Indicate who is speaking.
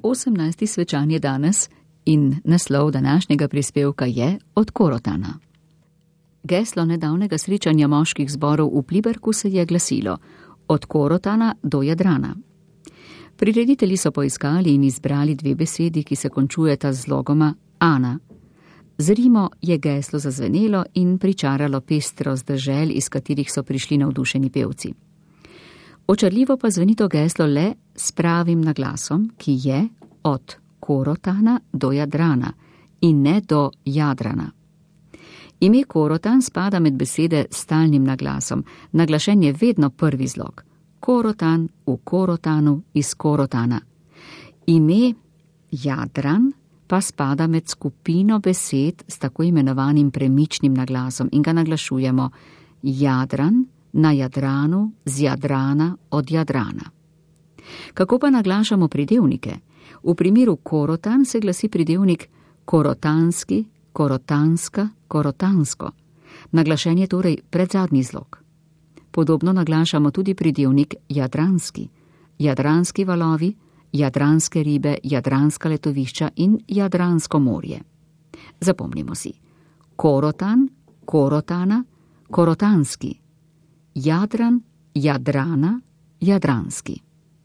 Speaker 1: 18. svečan je danes in naslov današnjega prispevka je Od Korotana. Geslo nedavnega srečanja moških zborov v Pliberku se je glasilo Od Korotana do Jadrana. Prireditelji so poiskali in izbrali dve besedi, ki se končujeta z zlogoma Ana. Z Rimo je geslo zazvenelo in pričaralo pestrost dežel, iz katerih so prišli navdušeni pevci. Očarljivo pa zveni to geslo le s pravim naglasom, ki je od Korotana do Jadrana in ne do Jadrana. Ime Korotan spada med besede s stalnim naglasom, naglašen je vedno prvi zlog. Korotan v Korotanu iz Korotana. Ime Jadran pa spada med skupino besed s tako imenovanim premičnim naglasom in ga naglašujemo Jadran na Jadranu, z Jadrana, od Jadrana. Kako pa naglašamo pridevnike? V primeru Korotan se glasi pridevnik korotanski, korotanska, korotansko. Naglašen je torej predzadnji zlog. Podobno naglašamo tudi pridevnik jadranski. Jadranski valovi, jadranske ribe, jadranska letovišča in Jadransko morje. Zapomnimo si. Korotan, Korotana, korotanski. Jadran, Jadrana, jadranski.